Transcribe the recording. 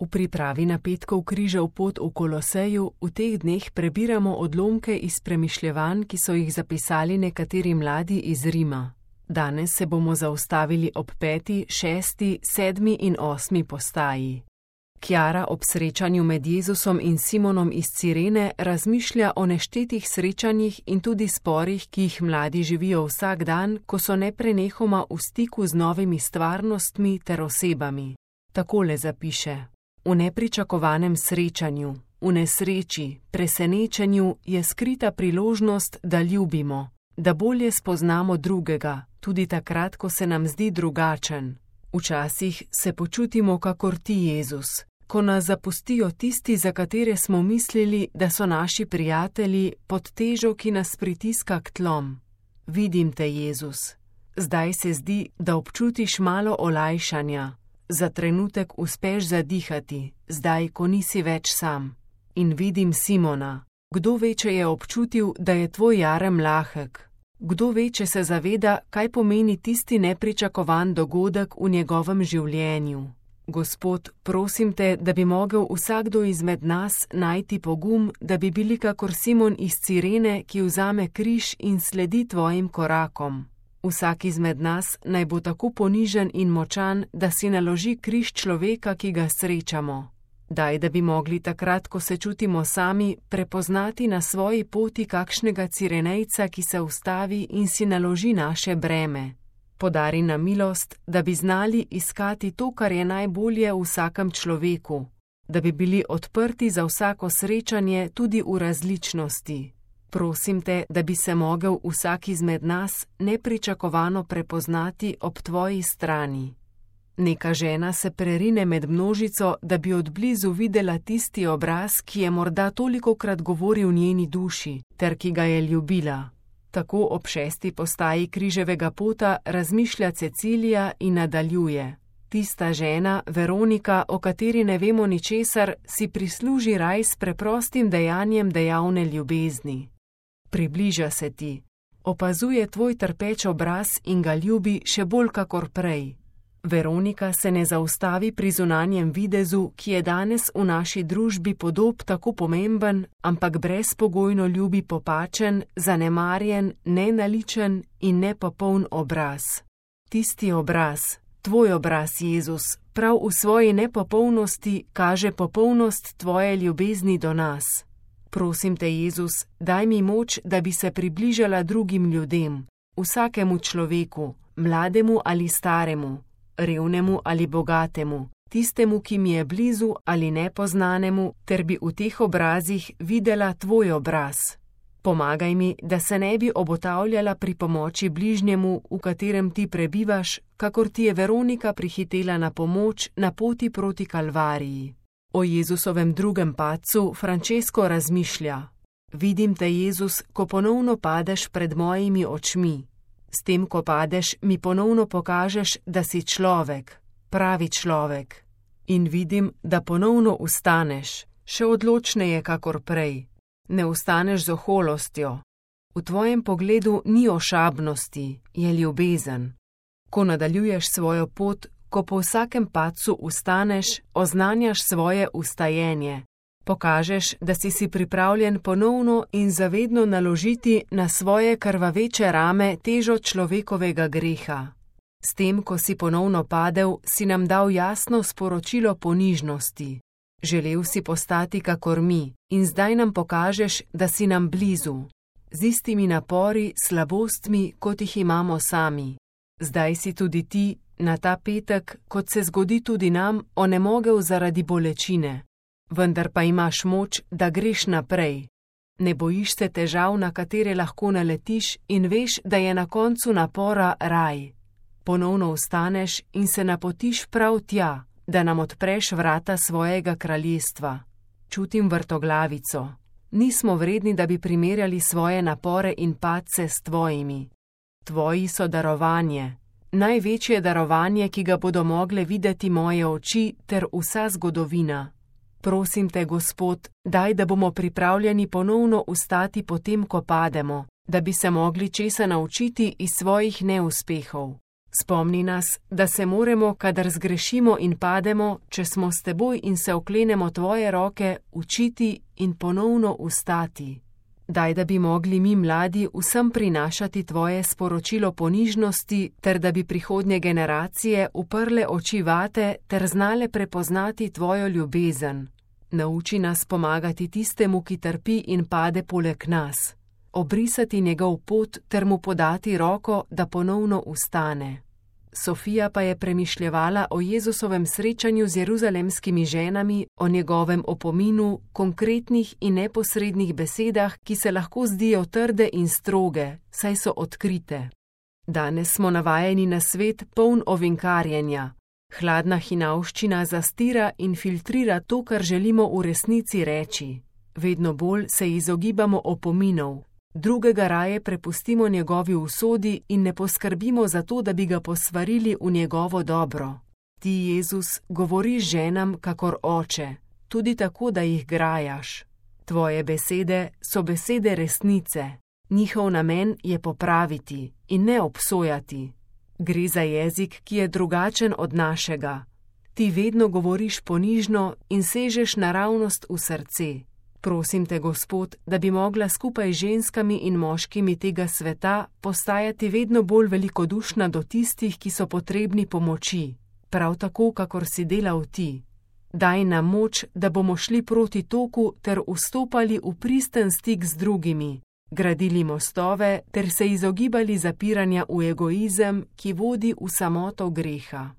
V pripravi na petkov križev pot v Koloseju v teh dneh prebiramo odlomke iz premišljevanj, ki so jih zapisali nekateri mladi iz Rima. Danes se bomo zaustavili ob 5., 6., 7. in 8. postaji. Kjara ob srečanju med Jezusom in Simonom iz Cirene razmišlja o neštetih srečanjih in tudi sporih, ki jih mladi živijo vsak dan, ko so neprenehoma v stiku z novimi stvarnostmi ter osebami. Takole zapiše: v nepričakovanem srečanju, v nesreči, presenečenju je skrita priložnost, da ljubimo, da bolje spoznamo drugega, tudi takrat, ko se nam zdi drugačen. Včasih se počutimo kakor ti, Jezus, ko nas zapustijo tisti, za katere smo mislili, da so naši prijatelji, pod težo, ki nas pritiska k tlom. Vidim te, Jezus. Zdaj se zdi, da občutiš malo olajšanja. Za trenutek uspeš zadihati, zdaj, ko nisi več sam. In vidim Simona. Kdo ve, če je občutil, da je tvoj jarem lahek? Kdo ve, če se zaveda, kaj pomeni tisti nepričakovan dogodek v njegovem življenju? Gospod, prosim te, da bi mogel vsakdo izmed nas najti pogum, da bi bili kakor Simon iz Cirene, ki vzame križ in sledi tvojim korakom. Vsak izmed nas naj bo tako ponižen in močan, da si naloži križ človeka, ki ga srečamo. Daj, da bi mogli takrat, ko se čutimo sami, prepoznati na svoji poti kakšnega Cirenejca, ki se ustavi in si naloži naše breme. Podari nam milost, da bi znali iskati to, kar je najbolje v vsakem človeku, da bi bili odprti za vsako srečanje tudi v različnosti. Prosim te, da bi se mogel vsak izmed nas nepričakovano prepoznati ob tvoji strani. Neka žena se prerine med množico, da bi od blizu videla tisti obraz, ki je morda tolikokrat govoril njeni duši, ter ki ga je ljubila. Tako ob 6. postaji križevega pota razmišlja Cecilija in nadaljuje. Tista žena, Veronika, o kateri ne vemo ničesar, si prisluži raj s preprostim dejanjem dejavne ljubezni. Približa se ti, opazuje tvoj trpeč obraz in ga ljubi še bolj kakor prej. Veronika se ne zaustavi pri zunanjem videzu, ki je danes v naši družbi podob tako pomemben, ampak brezpogojno ljubi popačen, zanemarjen, nenaličen in nepopoln obraz. Tisti obraz, tvoj obraz, Jezus, prav v svoji nepopolnosti kaže popolnost tvoje ljubezni do nas. Prosim te, Jezus, daj mi moč, da bi se približala drugim ljudem, vsakemu človeku, mlademu ali staremu, revnemu ali bogatemu, tistemu, ki mi je blizu ali nepoznanemu, ter bi v teh obrazih videla tvoj obraz. Pomagaj mi, da se ne bi obotavljala pri pomoči bližnjemu, v katerem ti prebivaš, kakor ti je Veronika prihitela na pomoč na poti proti Kalvariji. O Jezusovem drugem padcu Francesco razmišlja. Vidim te, Jezus, ko ponovno padeš pred mojimi očmi. S tem, ko padeš, mi ponovno pokažeš, da si človek, pravi človek. In vidim, da ponovno ustaneš, še odločneje kakor prej. Ne ustaneš z oholostjo. V tvojem pogledu ni ošabnosti, je ljubezen. Ko nadaljuješ svojo pot, ko po vsakem padcu ustaneš, oznanjaš svoje ustajenje. Pokažeš, da si pripravljen ponovno in zavedno naložiti na svoje krvaveče rame težo človekovega greha. S tem, ko si ponovno padel, si nam dal jasno sporočilo ponižnosti. Želel si postati kakor mi in zdaj nam pokažeš, da si nam blizu. Z istimi napori, slabostmi, kot jih imamo sami. Zdaj si tudi ti, na ta petek, kot se zgodi tudi nam, onemogel zaradi bolečine. Vendar pa imaš moč, da greš naprej. Ne bojiš se težav, na katere lahko naletiš, in veš, da je na koncu napora raj. Ponovno vstaneš in se napotiš prav tja, da nam odpreš vrata svojega kraljestva. Čutim vrtoglavico. Nismo vredni, da bi primerjali svoje napore in padce s tvojimi. Tvoji so darovanje. Največje darovanje, ki ga bodo mogle videti moje oči ter vsa zgodovina. Prosim te, Gospod, daj, da bomo pripravljeni ponovno vstati potem, ko pademo, da bi se mogli česa naučiti iz svojih neuspehov. Spomni nas, da se moramo, kadar zgrešimo in pademo, če smo s teboj in se oklenemo tvoje roke, učiti in ponovno vstati. Daj, da bi mogli mi mladi vsem prinašati tvoje sporočilo ponižnosti, ter da bi prihodnje generacije uprle oči vate ter znale prepoznati tvojo ljubezen. Nauči nas pomagati tistemu, ki trpi in pade poleg nas. Obrisati njegov pot ter mu podati roko, da ponovno vstane. Sofija pa je premišljevala o Jezusovem srečanju z jeruzalemskimi ženami, o njegovem opominu, konkretnih in neposrednih besedah, ki se lahko zdijo trde in stroge, saj so odkrite. Danes smo navajeni na svet poln ovinkarjenja. Hladna hinavščina zastira in filtrira to, kar želimo v resnici reči. Vedno bolj se izogibamo opominov. Drugega raje prepustimo njegovi usodi in ne poskrbimo za to, da bi ga posvarili v njegovo dobro. Ti, Jezus, govoriš ženam kakor oče, tudi tako, da jih grajaš. Tvoje besede so besede resnice. Njihov namen je popraviti in ne obsojati. Gre za jezik, ki je drugačen od našega. Ti vedno govoriš ponižno in sežeš naravnost v srce. Prosim te, Gospod, da bi mogla skupaj z ženskami in moškimi tega sveta postajati vedno bolj velikodušna do tistih, ki so potrebni pomoči, prav tako, kakor si delal ti. Daj nam moč, da bomo šli proti toku ter vstopali v pristen stik z drugimi, gradili mostove ter se izogibali zapiranja v egoizem, ki vodi v samoto greha.